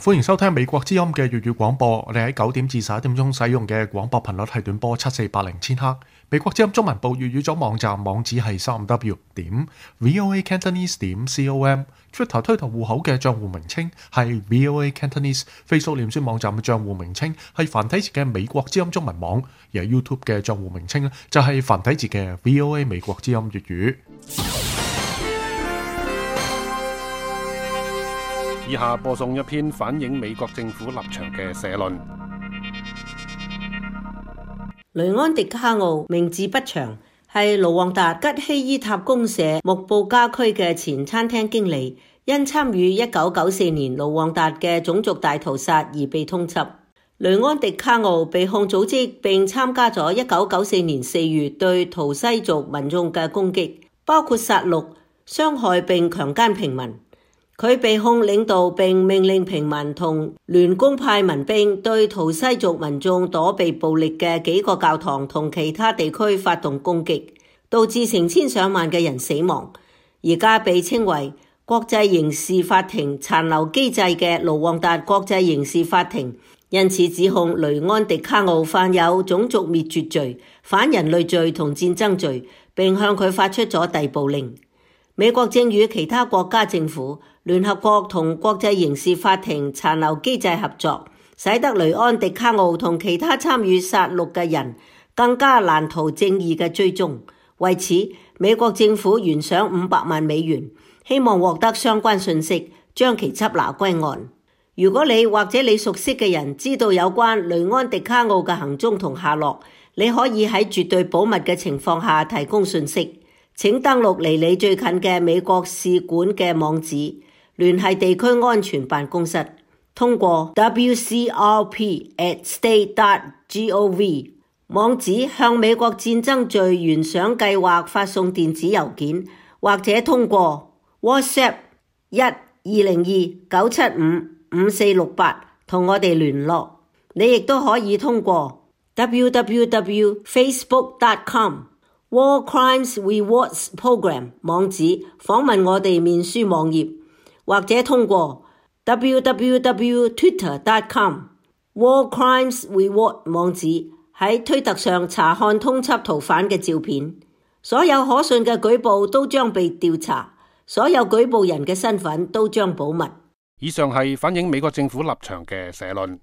歡迎收聽美國之音嘅粵語廣播。我哋喺9點至11點鐘使用嘅廣播頻率係短波7480千赫。美國之音中文部粵語組網站網址係3w.voacantonese.com。Twitter 推特戶口嘅賬戶名稱係 VOA Cantonese。Facebook 臉書網站嘅賬戶名稱係繁體字嘅美國之音中文網，而 YouTube 嘅賬戶名稱咧就係繁體字嘅 VOA 美國之音粵語。以下播送一篇反映美國政府立場嘅社論。雷安迪卡奧名字不詳，係盧旺達吉希伊塔公社木布加區嘅前餐廳經理，因參與1994年盧旺達嘅種族大屠殺而被通緝。雷安迪卡奧被控組織並參加咗1994年4月對圖西族民眾嘅攻擊，包括殺戮、傷害並強姦平民。佢被控領導並命令平民同聯公派民兵對圖西族民眾躲避暴力嘅幾個教堂同其他地區發動攻擊，導致成千上萬嘅人死亡。而家被稱為國際刑事法庭殘留機制嘅盧旺達國際刑事法庭，因此指控雷安迪卡奧犯有種族滅絕罪、反人類罪同戰爭罪，並向佢發出咗逮捕令。美國正與其他國家政府、聯合國同國際刑事法庭殘留機制合作，使得雷安迪卡奧同其他參與殺戮嘅人更加難逃正義嘅追蹤。為此，美國政府懸賞500萬美元，希望獲得相關信息，將其緝拿歸案。如果你或者你熟悉嘅人知道有關雷安迪卡奧嘅行蹤同下落，你可以喺絕對保密嘅情況下提供信息。請登錄離你最近嘅美國使館嘅網址，聯繫地區安全辦公室，通過 wcrp@state.gov 網址向美國戰爭罪懸賞計劃發送電子郵件，或者通過 WhatsApp 1-202-975-5468同我哋聯絡。你亦都可以通過 www.facebook.com/War Crimes Rewards Program 網址訪問我哋面書網頁，或者通過 www.twitter.com/War Crimes Reward 網址喺推特上查看通緝逃犯嘅照片。所有可信嘅舉報都將被調查，所有舉報人嘅身份都將保密。以上係反映美國政府立場嘅社論。